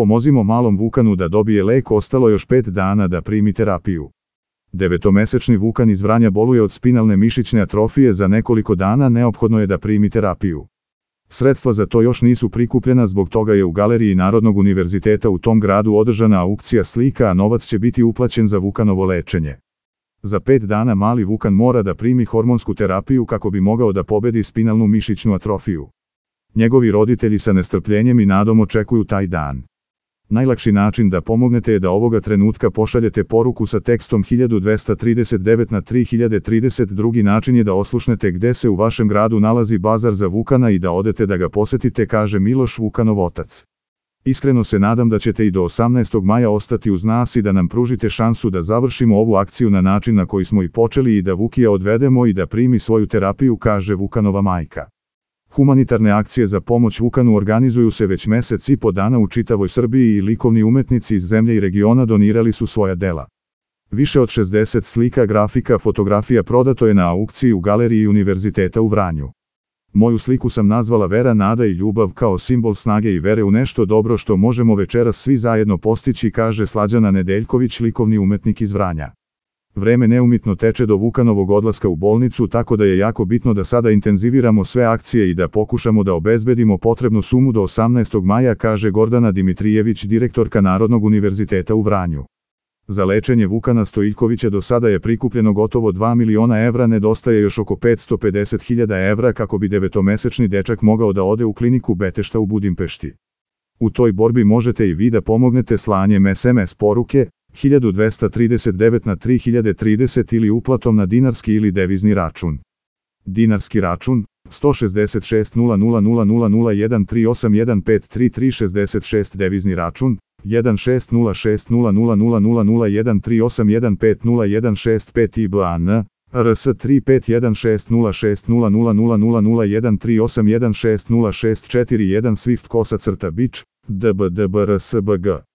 Pomozimo malom Vukanu da dobije lek, ostalo još 5 dana da primi terapiju. 9-mesečni Vukan iz Vranja boluje od spinalne mišićne atrofije, za nekoliko dana neophodno je da primi terapiju. Sredstva za to još nisu prikupljena, zbog toga je u Galeriji Narodnog univerziteta u tom gradu održana aukcija slika, a novac će biti uplaćen za Vukanovo lečenje. Za 5 dana mali Vukan mora da primi hormonsku terapiju kako bi mogao da pobedi spinalnu mišićnu atrofiju. Njegovi roditelji sa nestrpljenjem i nadom očekuju taj dan. Najlakši način da pomognete je da ovoga trenutka pošaljete poruku sa tekstom 1239 na 3030. Drugi način je da oslušnete gde se u vašem gradu nalazi bazar za Vukana i da odete da ga posetite, kaže Miloš, Vukanov otac. Iskreno se nadam da ćete i do 18. maja ostati uz nas i da nam pružite šansu da završimo ovu akciju na način na koji smo i počeli i da Vukija odvedemo i da primi svoju terapiju, kaže Vukanova majka. Humanitarne akcije za pomoć Vukanu organizuju se već mesec i po dana u čitavoj Srbiji i likovni umetnici iz zemlje i regiona donirali su svoja dela. Više od 60 slika, grafika, fotografija prodato je na aukciji u Galeriji Univerziteta u Vranju. Moju sliku sam nazvala Vera, nada i ljubav, kao simbol snage i vere u nešto dobro što možemo večeras svi zajedno postići, kaže Slađana Nedeljković, likovni umetnik iz Vranja. Vreme neumitno teče do Vukanovog odlaska u bolnicu, tako da je jako bitno da sada intenziviramo sve akcije i da pokušamo da obezbedimo potrebnu sumu do 18. maja, kaže Gordana Dimitrijević, direktorka Narodnog univerziteta u Vranju. Za lečenje Vukana Stojiljkovića do sada je prikupljeno gotovo 2 miliona evra, nedostaje još oko 550.000 evra kako bi 9-mesečni dečak mogao da ode u kliniku Betešta u Budimpešti. U toj borbi možete i vi da pomognete slanjem SMS poruke 1239 na 3030 ili uplatom na dinarski ili devizni račun. Dinarski račun 166 000001381533366, devizni račun 160600000138150165 IBAN RS 3516060000138160160641 Swift _bič DBDBRSBG